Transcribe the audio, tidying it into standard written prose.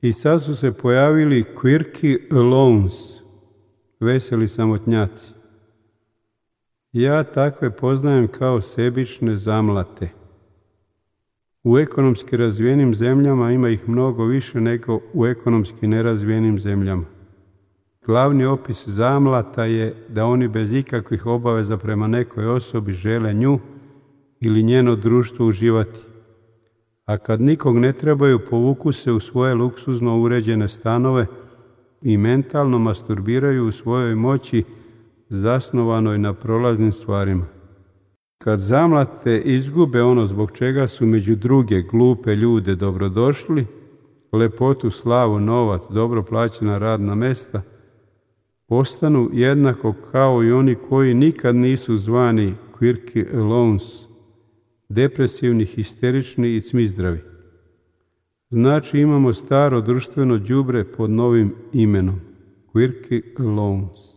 I sad su se pojavili quirky alons, veseli samotnjaci. Ja takve poznajem kao sebične zamlate. U ekonomski razvijenim zemljama ima ih mnogo više nego u ekonomski nerazvijenim zemljama. Glavni opis zamlata je da oni bez ikakvih obaveza prema nekoj osobi žele nju ili njeno društvo uživati. A kad nikog ne trebaju, povuku se u svoje luksuzno uređene stanove i mentalno masturbiraju u svojoj moći zasnovanoj na prolaznim stvarima. Kad zamlate izgube ono zbog čega su među druge glupe ljude dobrodošli, lepotu, slavu, novac, dobro plaćena radna mesta, postanu jednako kao i oni koji nikad nisu zvani quirky alons, depresivni, histerični i cmizdravi. Znači imamo staro društveno đubre pod novim imenom, quirky alons.